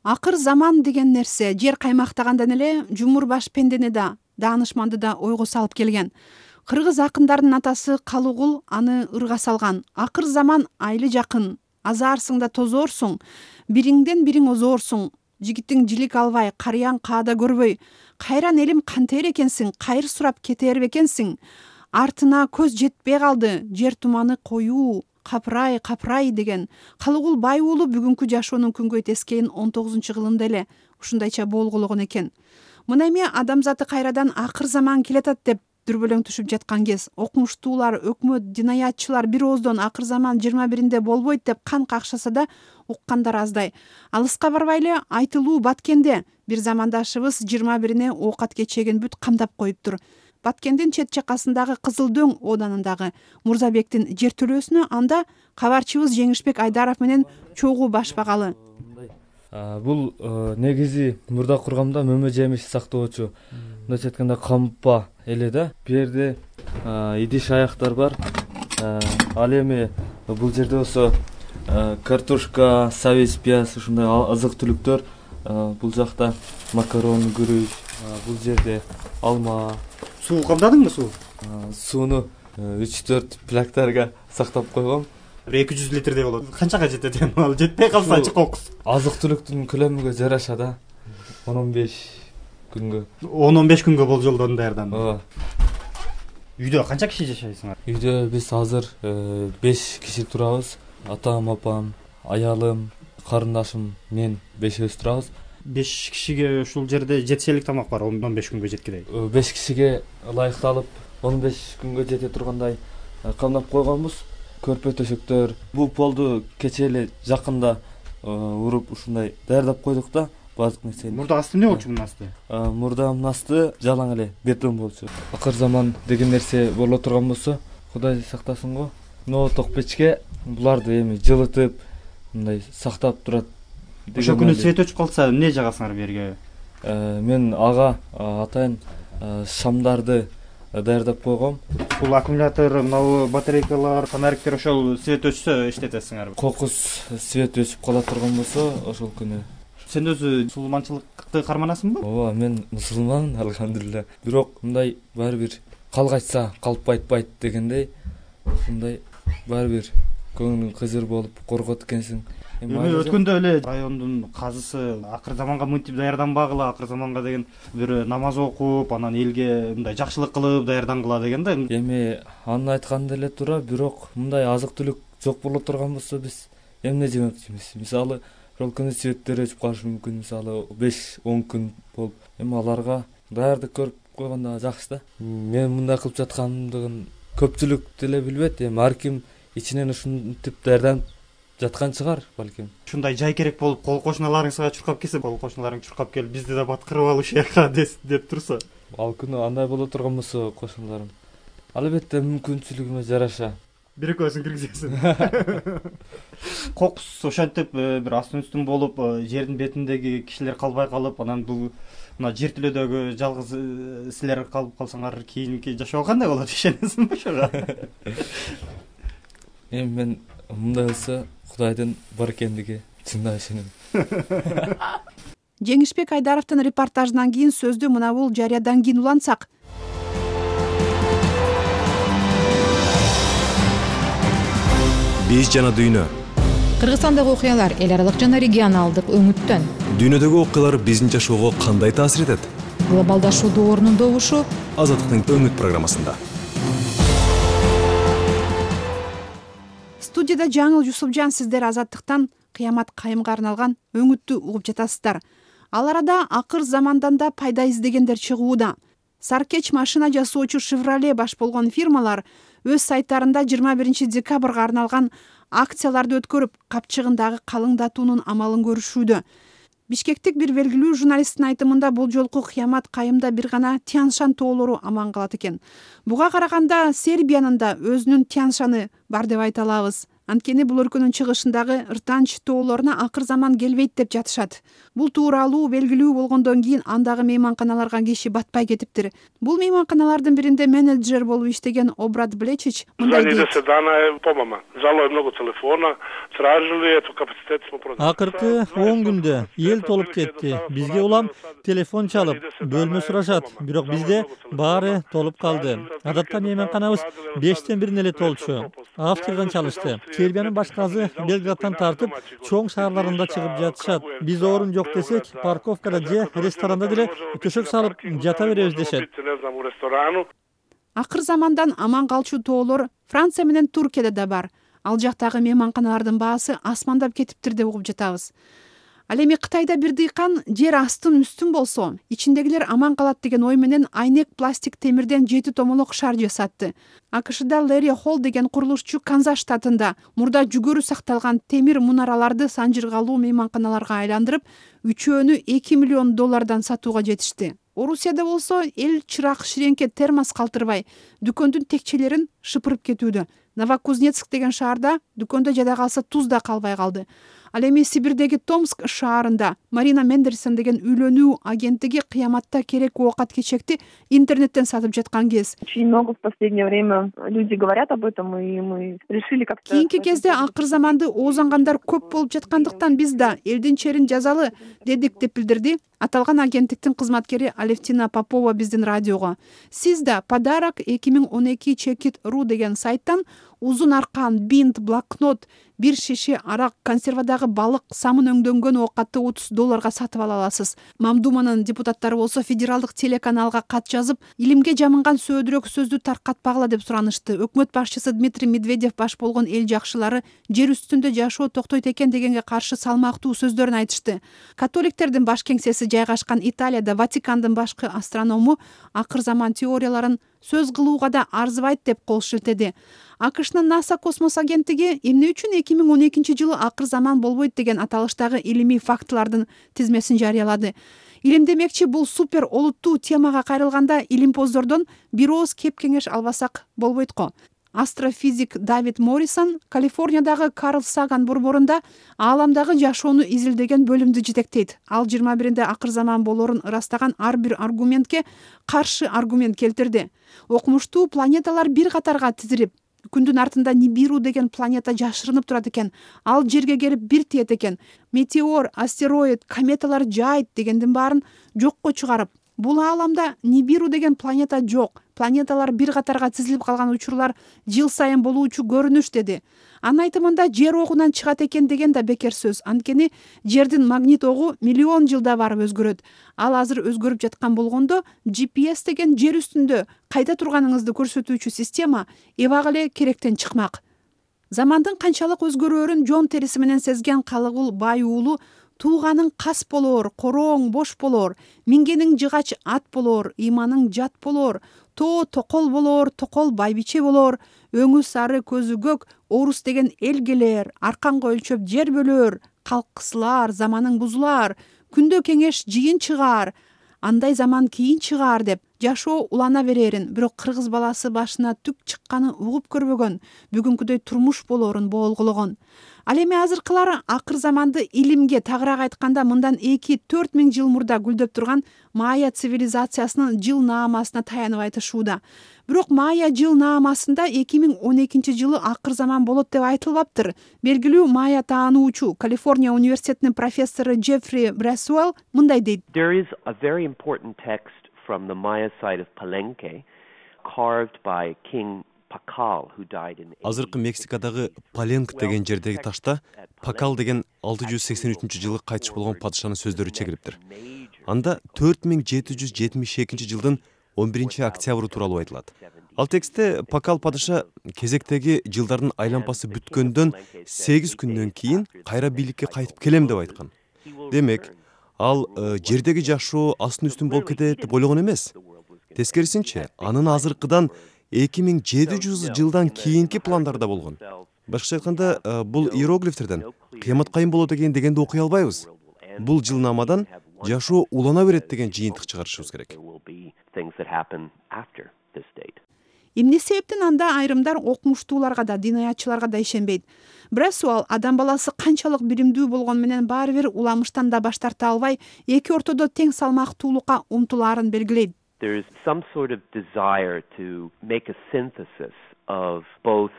Акыр заман деген нерсе жер каймактагандан эле жумур баш пендени да, даанышманды да ойго салып келген. Кыргыз акындарынын атасы Калыгул аны ырга салган. Акыр заман айлы жакын, азаарсың да тозоорсуң, бириңден бириң озоорсуң. Жигитиң жилик албай, карыяң каада көрбөй, кайран элим кантер экенсиң, кайыр сурап кетер бекенсиң. Артына көз жетпей калды, жер туманы коюу, капырай, капырай деген. Калыгул бай уулу бүгүнкү жашоонун күнгөй тескейин 19-кылымда эле ушундайча болголагон экен. Мына эми адамзаты кайрадан акыр заман келатат деп дүрбөлөң түшүп жаткан кез, окумуштуулар, өкмөт, динаятчылар бир ооздон акыр заман 21-де болбойт деп кан какшаса да уккандар аздай. Алыска барбай эле айтылуу Баткенде бир замандашыбыз 21-ине оокат кечегин бүт камдап коюптур. Баткендин чет жакасындагы Кызыл Дөң ооданындагы Мурзабектин жертөлөөсүнө анда кабарчыбыз Жеңишбек Айдаров менен чогуу башпагалы. Бул негизи мурда кургамда мөмө жемиш сактоочу, мындайча айтканда кампа эле да. Бу жерде идиш аяктар бар. Ал эми бул жерде болсо картошка, сабиз, пияз ушундай азык-түлүктөр. Бул жакта макарон, күрүч, бул жерде алма. Суу камдадыңбы суу? Сууну 3-4 плактарга сактап койгом. 200 литрдей болот. Канчага жетет эми? Ал жетпей калса чыккокус. Азык-түлүктүн көлөмүгө жараша да. 10-15 күнгө. 10-15 күнгө болжолдон даярдан. Ооба. Үйдө канча киши жашайсыңар? Үйдө биз азыр 5 киши турабыз. Атам, апам, аялым, карындашым, мен 5-өбүз турабыз. 5 кишиге ушул жерде жетишелик тамак бар, 15 күнгө жеткидей. 5 кишиге ылайыкталып 15 күнгө жете тургандай камдап койгонбуз. Көрпө төшөктөр, бул полду кече эле жакында уруп ушундай даярдап койдук да, баардык нерсени. Мурда асты эмне болчу мунун асты? Мурданын асты жалаң эле бетон болчу. Акыр заман деген нерсе боло турган болсо, Кудай сактасын го. Но ток печке буларды эми жылытып, мындай сактап турат. Ошо күнү свет өчүп калса, эмне жагасыңар бу жерге? Мен ага атайын шамдарды даярдап койгом. Бул аккумулятор, мына батарейкалар, фонариктер ошол свет өчсө иштетесиңерби? Кокус свет өчүп кала турган болсо, ошол күнү. Сен өзү мусулманчылыкты карманасыңбы? Ооба, мен мусулманмын, алхамдулилля. Бирок мындай баары бир калгачса калп айтпайт дегендей, мындай баары бир көңүлүң кызыр болуп коркот экенсиң. Эми өткөндө эле райондун казысы акыр заманга мынтип даярданбагыла, акыр заманга деген бир намаз окуп, анан элге мындай жакшылык кылып даярдангыла деген да. Эми анын айтканы деле туура, бирок мындай азык-түлүк жок боло турган болсо биз эмне жемекчимиз? Мисалы, ошол күнү светтер өчүп калышы мүмкүн, мисалы 5-10 күн болуп. Эми аларга даярдык көрүп койгондо жакшы да. Мен мындай кылып жаткандыгын көпчүлүк деле билбейт. Эми ар ким ичинен ушинтип даярданып жаткан чыгар балким. Ушундай жай керек болуп, кол кошуналарыңызга чуркап келсе, кол кошуналарың чуркап келип, бизди да баткырып ал ушул жака деп турса. Ал күнү андай боло турган болсо, кошуналарым албетте мүмкүнчүлүгүмө жараша бир-экөөсүн киргизесиң. Кокус ошентип бир астын үстүн болуп, жердин бетиндеги кишилер калбай калып, анан бул мына жер тилөөдөгү жалгыз силер калып калсаңар, кийинки жашоо кандай болот, ишенесиңби ошого? Эми мен мындай болсо Кудайдын бар экендиги чындап ишенем. Жеңишбек Айдаровдун репортажынан кийин сөздү мына бул жарыядан кийин улантсак. Биз жана дүйнө. Кыргызстандагы окуялар эл аралык жана регионалдык өңүттөн. Дүйнөдөгү окуялар биздин жашоого кандай таасир этет? Глобалдашуу доорунун добушу Азаттыктын өңүт программасында. Студияда Жаңыл Жусупжан, сиздер Азаттыктан Кыямат Кайымга арналган өңүттү угуп жатасыздар. Ал арада акыр замандан да пайда издегендер чыгууда. Саркеч машина жасоочу Chevrolet баш болгон фирмалар өз сайттарында 21 декабрга арналган акцияларды өткөрүп, капчыгындагы калыңдатуунун амалын көрүшүүдө. Бишкектик бир белгилүү журналисттин айтымында бул жолку Кыямат Кайымда бир гана Тяншан тоолору аман калат экен. Буга караганда Сербиянын да өзүнүн Тяншаны бар деп айта алабыз. Анткени бул өлкөнүн чыгышындагы Ыртанч тоолоруна акыр заман келбейт деп жатышат. Бул тууралуу белгилүү болгондон кийин андагы мейманканаларга киши батпай кетиптир. Бул мейманканалардын биринде менеджер болуп иштеген Обрат Блечич мындай дейт. Акыркы 10 күндө эл толуп кетти. Бизге улам телефон чалып, бөлмө сурашат, бирок бизде баары толуп калды. Адатта мейманканабыз 5тен 1 эле толчу. Австриядан чалышты. Сербиянын башкасы Белградтан тартып, чоң шаарларында чыгып жатышат. Биз орун жок десек, парковкада же ресторанда деле төшөк салып жата беребиз дешет. Акыр замандан аман калчу тоолор Франция менен Туркияда да бар. Ал жактагы мейманканалардын баасы асмандап кетиптир деп угуп жатабыз. Ал эми Кытайда бир дыйкан жер астын үстүн болсо, ичиндегилер аман калат деген ой менен айнек пластик темирден 7 томолок шар жасатты. АКШда Лэри Холл деген курулушчу Канзас штатында мурда жүгөрү сакталган темир мунараларды санжыргалуу мейманканаларга айландырып, үчөөнү $2 миллион сатууга жетишти. Орусияда болсо эл чырак ширеңке термос калтырбай, дүкөндүн текчелерин шыпырып кетүүдө. Новокузнецк деген шаарда дүкөндө жада калса туз да калбай калды. Ал эми Сибирдеги Томск шаарында Марина Мендерсон деген үйлөнүү агенттиги кыяматта керек оокат кечекти интернеттен сатып жаткан кез. Очень много в последнее время люди говорят об этом, и мы решили как-то... Кийинки кезде акыр заманды оозангандар көп болуп жаткандыктан биз да элдин черин жазалы дедик деп билдирди аталган агенттиктин кызматкери Алевтина Попова биздин радиого. Сиз да подарок 2012 чекит.ру деген сайттан узун аркан, бинт, блокнот, бир шише арак, консервадагы балык, самын өңдөнгөн оокатты $30 сатып ала аласыз. Мамдуманын депутаттары болсо федералдык телеканалга кат жазып, илимге жамынган сөөдүрөк сөздү таркатпагыла деп суранышты. Өкмөт башчысы Дмитрий Медведев баш болгон эл жакшылары жер үстүндө жашоо токтойт экен дегенге каршы салмактуу сөздөрүн айтышты. Католиктердин баш кеңсеси жайгашкан Италияда Ватикандын башкы астроному акыр заман теорияларын сөз кылууга да арзыбайт деп кол шилтеди. АКШнын НАСА космос агенттиги эмне үчүн 2012 жылы акыр заман болбойт деген аталыштагы илимий фактылардын тизмесин жарыялады. Илим демекчи бул супер олуттуу темага кайрылганда илимпоздордон бир ооз кеп кеңеш албасак болбойт го. Астрофизик Давид Моррисон Калифорниядагы Карл Саган борборунда ааламдагы жашоону изилдеген бөлүмдү жетектейт. Ал 21-нде акыр заман болорун ырастаган ар бир аргументке каршы аргумент келтирди. Окумуштуу планеталар бир катарга тизилип, күндүн артында Нибиру деген планета жашырынып турат экен. Ал жерге келип бир тиет экен. Метеор, астероид, кометалар жайыт дегендин баарын жокко чыгарып, бул ааламда Нибиру деген планета жок. Планеталар бир катарга тизилип калган учурлар жыл сайын болуучу көрүнүш деди. Анын айтымында жер огунан чыгат экен деген да бекер сөз. Анткени жердин магнит огу миллион жылда барып өзгөрөт. Ал азыр өзгөрүп жаткан болгондо GPS деген жер үстүндө кайда турганыңызды көрсөтүүчү система эбак эле керектен чыкмак. Замандын канчалык өзгөрөөрүн жон териси менен сезген Калыгул бай уулу тууганың кас болор, корооң бош болор, мингениң жыгач ат болор, ыйманың жат болор, тоо токол болор, токол байбиче болор, өңү сары, көзү көк, орус деген эл келер, арканга өлчөп жер бөлөр, калк кысылар, заманың бузулар, күндө кеңеш жыйын чыгар, андай заман кийин чыгар деп жашоо улана берерин, бирок кыргыз баласы башына түк чыкканы угуп көрбөгөн, бүгүнкүдөй турмуш болорун боолгологон. Ал эми азыркылар акыр заманды илимге тагыраак айтканда мындан 2-4 миң жыл мурда гүлдөп турган Майя цивилизациясынын жыл наамасына таянып айтышууда. Бирок Майя жыл наамасында 2012 жылы акыр заман болот деп айтылбаптыр. Белгилүү Майя таануучу Калифорния университетинин профессору Джеффри Брасуэлл мындай дейт. There is a very important text from the Maya side of Palenque carved by King Pakal who died in Азыркы Мексикадагы Паленк деген жердеги ташта Пакал деген 683-жылы кайтыш болгон падышанын сөздөрү чегилиптир. Анда 4772 жылдын 11-октябры тууралуу айтылат. Ал текстте Пакал падыша кезектеги жылдардын айланпасы бүткөндөн 8 күндөн кийин кайра бийликке кайтып келем деп айткан. Демек, ал жердеги жашоо астын үстүн болуп кетет деп ойлогон эмес. Тескерисинче, анын азыркыдан 2700 жылдан кийинки пландарда болгон. Башкача айтканда, бул иероглифтерден кыямат кайын болот дегенди окуй албайбыз. Бул жылнамадан жашоо улана берет деген жыйынтык чыгарышыбыз керек. Эмне себептен анда айрымдар окумуштууларга да, дин аятчыларга да ишенбейт? Бир суал, адам баласы канчалык билимдүү болгону менен баары бир уламыштан да баш тарта албай, эки ортодо тең салмактуулукка умтулаарын белгилейт. There's some sort of desire to make a synthesis of both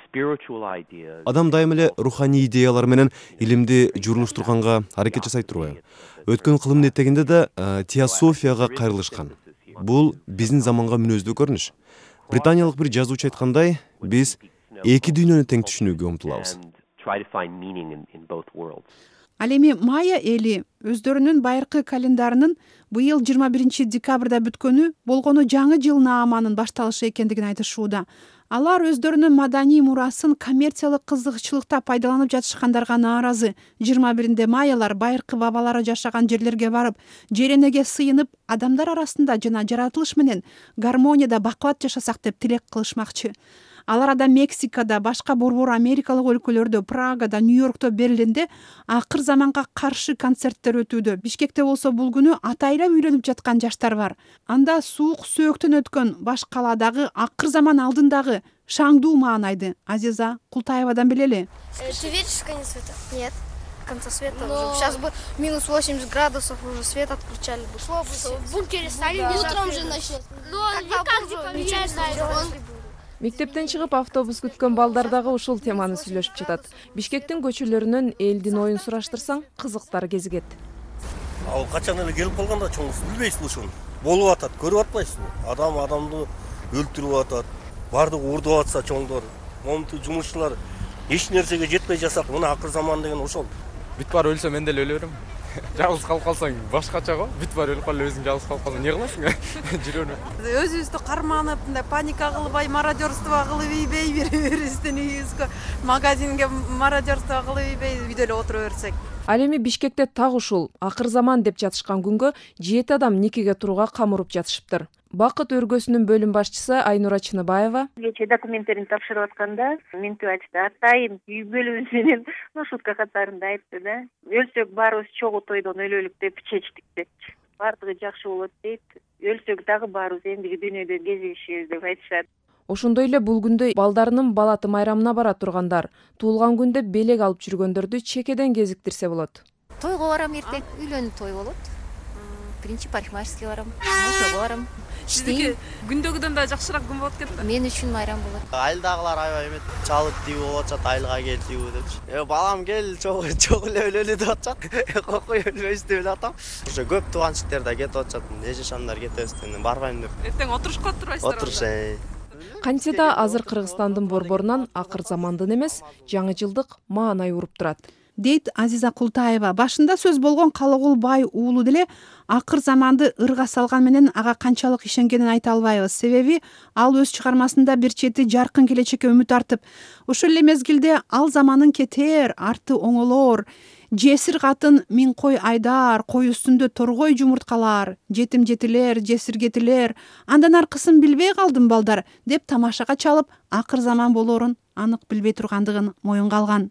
spiritual ideas. Адам дайым эле руханий идеялар менен илимди журулуштурганга аракет жасайт турбайбы? Өткөн кылымдын этегинде да теософияга кайрылышкан. Бул биздин заманга мүнөздүү көрүнүш. Британиялык бир жазуучу айткандай, биз эки дүйнөнү тең түшүнүүгө умтулабыз. Ал эми майя эли өздөрүнүн байыркы календарынын быйыл 21 декабрда бүткөнү болгону жаңы жыл нааманын башталышы экендигин айтышууда. Алар өздөрүнүн маданий мурасын коммерциялык кызыкчылыкта пайдаланып жатышкандарга нааразы. 21 майялар байыркы бабалары жашаган жерлерге барып, жеренеге сыйынып, адамдар арасында жана жаратылыш менен гармонияда бакубат жашасак деп тилек кылышмакчы. Алар да Мексикада, башка борбор Америкалык өлкөлөрдө, Прагада, Нью-Йоркто, Берлинде акыр заманга каршы концерттер өтүүдө. Бишкекте болсо бул күнү атайла үйлөнүп жаткан жаштар бар. Анда суук сөөктөн өткөн баш калаадагы акыр заман алдындагы шаңдуу маанайды Азиза Култаевадан билели. Ты видишь конец света? Нет. Конца света уже. Сейчас бы минус 80 градусов, уже свет отключали бы. В бункере стали. Утром же начнет. Но никак не поменяется. Мектептен чыгып автобус күткөн балдар дагы ушул теманы сүйлөшүп жатат. Бишкектин көчөлөрүнөн элдин оюн сураштырсаң, кызыктар кезигет. Ал качан эле келип калганда чоңуз билбейсиз ушуну. Болуп атат, көрүп атпайсызбы? Адам адамды өлтүрүп атат. Бардыгы урдуп атса чоңдор, момунту жумушчулар эч нерсеге жетпей жасак, мына акыр заман деген ошол. Бүт бар өлсөм мен деле өлө берем. Жалгыз калып калсаң башкача го. Бүт бар өлүп калып өзүң жалгыз калып калсаң эмне кыласың? Жүрөөнү. Өзүбүздү карманып, мындай паника кылбай, мародерство кылып ийбей, бири-бирибиздин үйүбүзгө, магазинге мародерство кылып ийбей, үйдө эле отура берсек. Ал эми Бишкекте так ушул акыр заман деп жатышкан күнгө 7 адам никеге турууга камырып жатышыптыр. Бакыт өргөсүнүн бөлүм башчысы Айнура Чыныбаева кечээ документтерин тапшырып атканда ментип айтышты, атайын үй бүлөбүз менен шутка катарында айтты да. Өлсөк баарыбыз чогуу тойдон өлөлүк деп чечтик депчи. Бардыгы жакшы болот дейт. Өлсөк дагы баарыбыз эндиги дүйнөдө кезигишебиз деп айтышат. Ошондой эле бул күндө балдарынын балаты майрамына бара тургандар, туулган күндө белек алып жүргөндөрдү чекеден кезиктирсе болот. Тойго барам эртең, үйлөнүү той болот. Биринчи парикмахерскийге барам, ошого барам. Сиздики күндөгүдөн да жакшыраак күн болот экен да. Мен үчүн майрам болот. Айылдагылар аябай эмет, чалып тийип атышат, айылга кел тийип депчи. Балам кел, чогуу эле өлөлү деп атышат. Кокой өлбөйбүз деп эле атам. Ошо көп тууганчылыктар да кетип атышат. Эже шамдар кетебиз деп барбайм деп. Эртең отурушка турбайсыздар. Отуруш. Кантсе да азыр Кыргызстандын борборунан акыр замандын эмес, жаңы жылдык маанай уруп турат. Дейт Азиза Култаева. Башында сөз болгон Калыгул бай уулу деле акыр заманды ырга салган менен ага канчалык ишенгенин айта албайбыз. Себеби ал өз чыгармасында бир чети жаркын келечекке үмүт артып, ошол эле мезгилде ал заманын кетер, арты оңолор, жесир катын миң кой айдар, кой үстүндө торгой жумурткалар, жетим жетилер, жесир кетилер, андан аркысын билбей калдым балдар деп тамашага чалып, акыр заман болоорун анык билбей тургандыгын моюнга алган.